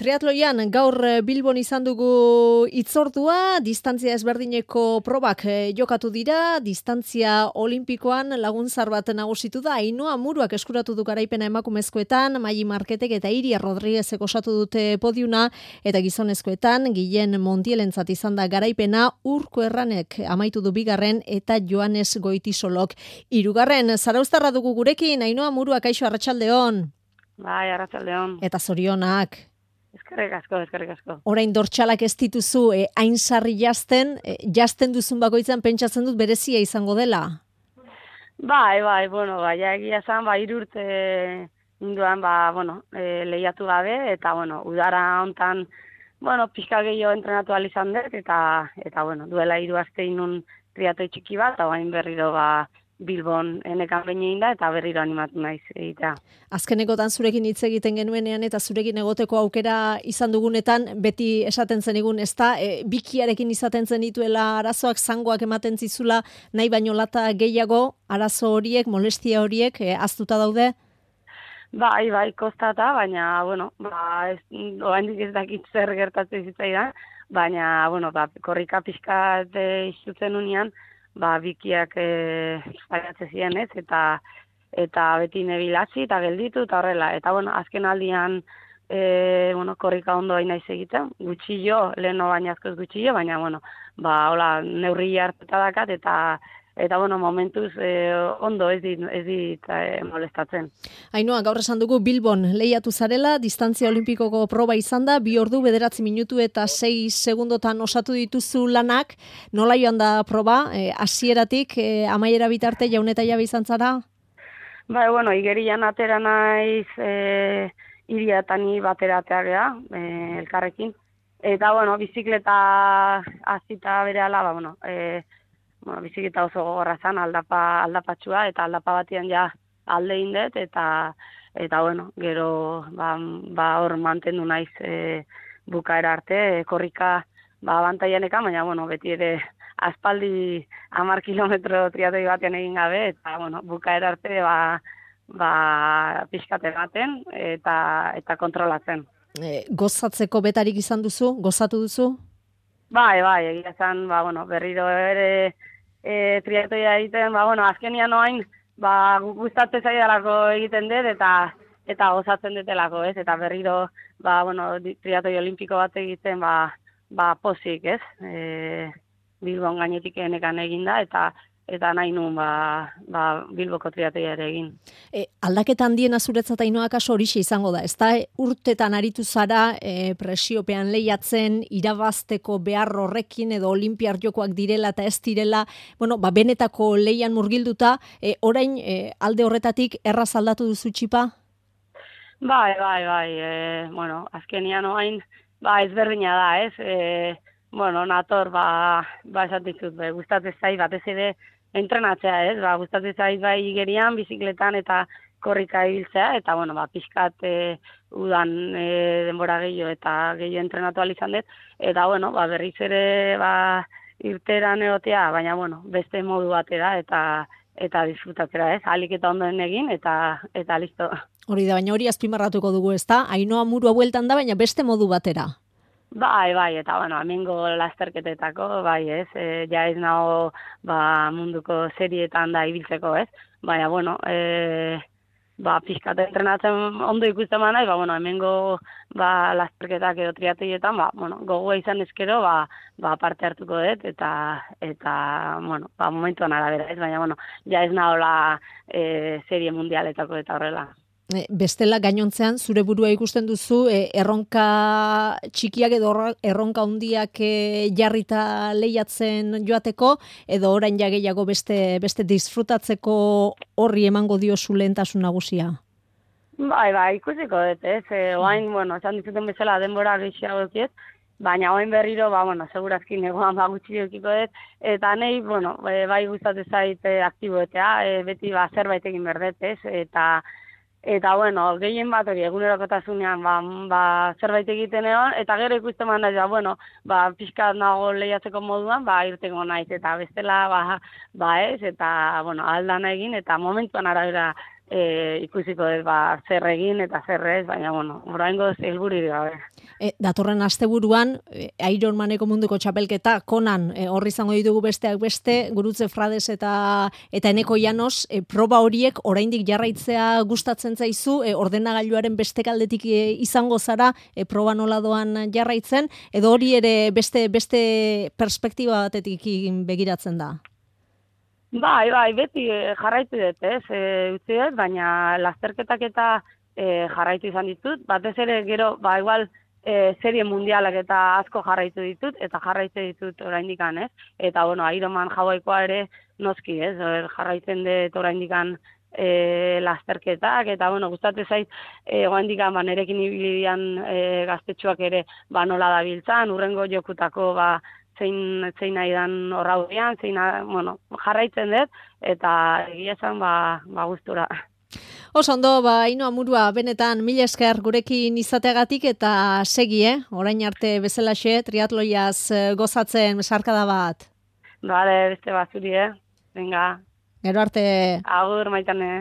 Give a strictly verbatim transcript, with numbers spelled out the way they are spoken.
triatloian gaur Bilbon izan dugu hitzordua, distantzia ezberdineko probak jokatu dira, distantzia olimpikoan laguntzar bat nagusitu da, Ainhoa Muruak eskuratu du garaipena emakumezkoetan, Maili Marketek eta Iria Rodriguezek osatu dute podiuna, eta gizonezkoetan, Guillen Montielentzat izan da garaipena, Urko Erranek amaitu du bigarren, eta Joanes Goitisolok hirugarren. Zarauztarra dugu gurekin, Ainhoa Muruak, kaixo, arratsaldeon. Bai, arratsaldeon. Eta zorionak. Eskerrik asko, eskerrik asko. Orain dortxalak ez dituzu, eh, hain sarri jazten, eh, jazten duzun bakoitzan pentsatzen dut berezia izango dela. Bai, bai, bueno, bai, egia zan, bai, irurte induan, ba, bueno, e, lehiatu gabe, eta, bueno, udara hontan, bueno, pixka gehiago entrenatu ahal izan dut, eta, eta, bueno, duela hiru aste inun triatoi txiki bat, eta bain berriro, ba, Bilbon enekan behin da, eta berriro animatu naiz egitea. Azkenekotan zurekin hitz egiten genuenean eta zurekin egoteko aukera izan dugunetan, beti esaten zenigun, ez da, e, bikiarekin izaten zenituela arazoak, zangoak ematen zizula, nahi baino lata gehiago, arazo horiek, molestia horiek, e, aztuta daude? Bai, bai, kostata, baina, bueno, ba, ez, oraindik ez dakit zer gertatzen zitzaidan, baina, bueno, ba, korrika pixkat izutzen unian, ba, bikiak e, faiatze ziren, ez, eta eta beti nebilatzi eta gelditu eta horrela. Eta, bueno, azken aldian, e, bueno, korrika ondo hain naiz egiten, gutxillo, leheno baina askoz gutxillo, baina, bueno, ba, hola, neurri hartuta dakat, eta Eta, bueno, momentuz eh, ondo ez dit, ez dit eh, molestatzen. Ainhoa, gaur esan dugu Bilbon lehiatu zarela, distantzia olimpikoko proba izan da, bi ordu, bederatzi minutu eta sei segundotan osatu dituzu lanak. Nola joan da proba, hasieratik eh, amaiera bitarte jaun eta jabe izan zara? Bai, bueno, igerian atera naiz eh, Iria eta ni batera ateagea, eh, elkarrekin. Eta, bueno, bizikleta azita berehala, ba, bueno, eh, Bueno, bizikleta oso gogorra zan, aldapa, aldapatxua, eta aldapa batian ja alde indet, eta, eta bueno, gero ba, ba hor mantendu naiz e, bukaera arte, e, korrika ba, abantaianekan, baina bueno, beti ere aspaldi hamar kilometro triatoi batean egin gabe, eta bueno, bukaera arte ba, ba, pixkate baten, eta, eta kontrolatzen. E, gozatzeko betarik izan duzu, gozatu duzu? Bai, bai, egia zan, ba, bueno, berriro ere e, triatoia egiten, ba, bueno, azkenian oain, ba, gustatzen zaidalako egiten dut, eta eta gozatzen dutelako, ez? Eta berriro, ba, bueno, triatoi olimpiko bat egiten, ba, ba pozik, ez? E, Bilbon gainetik enekan eginda, eta eta nahi nuen ba, ba, Bilboko triatoia ere egin. E, aldaketa handiena zuretzat Ainhoa kaso horixe izango da, ez da urtetan aritu zara e, presiopean lehiatzen, irabazteko behar horrekin edo olimpiar jokoak direla eta ez direla, bueno, ba, benetako lehian murgilduta, e, orain e, alde horretatik erraz aldatu duzu txipa? Bai, bai, bai, e, bueno, azkenian oain, ba, ezberdina da, ez? E, bueno, nator, ba, ba esatizut, be, gustatzen zait, batez ere, entrenatzea, ez? Ba, gustatzen zait bai igerian, bizikletan eta korrika ibiltzea, eta, bueno, ba, pixkat e, udan e, denbora gehiago eta gehiago entrenatu ahal izan dut, eta, bueno, ba, berriz ere, ba, irteran egotea, baina, bueno, beste modu batera, eta eta disfrutatzera, ez? Ahalik eta ondoen egin, eta eta listo. Hori da, baina hori azpimarratuko dugu, ez da? Ainhoa Murua bueltan da, baina beste modu batera. Bai, bai, eta, bueno, hemengo lasterketetako, bai, ez, e, ja ez nago, ba, munduko serietan da ibiltzeko, ez, baina, bueno, e, ba, pixkat entrenatzen ondo ikusten manai, ba, bueno, hemengo, ba, lasterketak edo triatoietan, ba, bueno, gogoa izan ezkero, ba, ba, parte hartuko dut, eta, eta, bueno, ba, momentuan arabera, ez, baina, bueno, ja ez nagola e, serie mundialetako eta horrela. Bestela gainontzean zure burua ikusten duzu e, erronka txikiak edo erronka handiak e, jarrita lehiatzen joateko edo orain ja gehiago beste beste disfrutatzeko horri emango diozu lehentasun nagusia. Bai, bai, ikusiko dut, ez. E, oain, bueno, esan dizuten bezala denbora gehiago ekiet, baina oain berriro, ba, bueno, segurazki negoan ba gutxi eukiko dut, eta nahi, bueno, bai gustatzen zait aktiboetea, e, beti ba zerbait egin berdet, ez, eta Eta, bueno, gehien bat hori egunerokotasunean ba, ba, zerbait egiten egon, eta gero ikusten man da, bueno, ba, pixkat nago lehiatzeko moduan, ba, irtengo naiz, eta bestela, ba, ba ez, eta, bueno, aldana egin, eta momentuan arabera e, ikusiko dut ba, zer egin eta zer ez, baina, bueno, oraingoz helbururik gabe. E, datorren asteburuan e, Ironmaneko munduko txapelketa konan e, hor izango ditugu besteak beste, Gurutze Frades eta eta Eneko Llanos, e, proba horiek oraindik jarraitzea gustatzen zaizu, e, ordenagailuaren beste aldetik e, izango zara, e, proba nola doan jarraitzen, edo hori ere beste beste perspektiba batetik begiratzen da? Bai, bai, beti eh, jarraitu dut, ez, e, utzi dut, baina lasterketak eta e, jarraitu izan ditut, batez ere gero, ba, igual, e, serie mundialak eta asko jarraitu ditut, eta jarraitu ditut oraindikan, ez, eta, bueno, Ironman Hawaiikoa ere noski, ez, or, jarraitzen dut oraindikan e, lasterketak, eta, bueno, gustatu zait, e, oraindikan, ba, nerekin ibilian e, gaztetxoak ere, ba, nola da biltzan, urrengo jokutako, ba, zein, zein nahi dan horraudean, zein, bueno, jarraitzen dut, eta egia esan, ba, ba gustura. Oso ondo, ba, Ainhoa Murua, benetan mila esker gurekin izateagatik eta segi, eh? Orain arte bezalaxe, triatloiaz gozatzen sarkada bat. Bale, beste bat zuri, eh? Venga. Gero arte. Agur, Maitane.